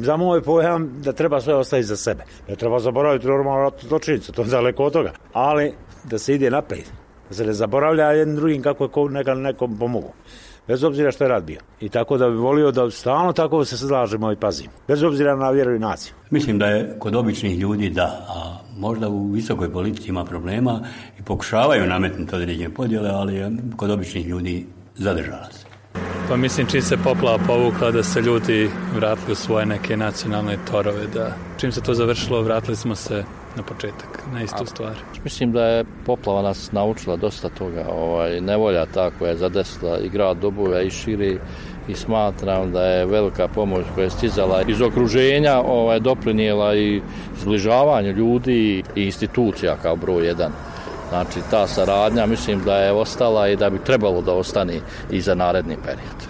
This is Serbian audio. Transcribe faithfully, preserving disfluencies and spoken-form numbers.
za moj pojam da treba sve ostaviti za sebe. Ne treba zaboraviti normalno ratnu zločinicu, to je daleko od toga. Ali da se ide naprijed, da se ne zaboravlja jednim drugim kako je ko nekad nekom pomogu. Bez obzira što je rat bio. I tako da bi volio da stalno tako se slažemo i pazimo. Bez obzira na vjeru i naciju. Mislim da je kod običnih ljudi da, a možda u visokoj politici ima problema i pokušavaju nametnuti određene podjele, ali je kod običnih ljudi zadržala se. Pa mislim čim se poplava povukla da se ljudi vratili u svoje neke nacionalne torove, da čim se to završilo vratili smo se na početak, na istu stvar. Mislim da je poplava nas naučila dosta toga, ovaj, nevolja ta koja je zadesila i grad Doboj i širi, i smatram da je velika pomoć koja je stizala iz okruženja ovaj, doprinijela i zbližavanju ljudi i institucija kao broj jedan. Znači ta saradnja mislim da je ostala i da bi trebalo da ostane i za naredni period.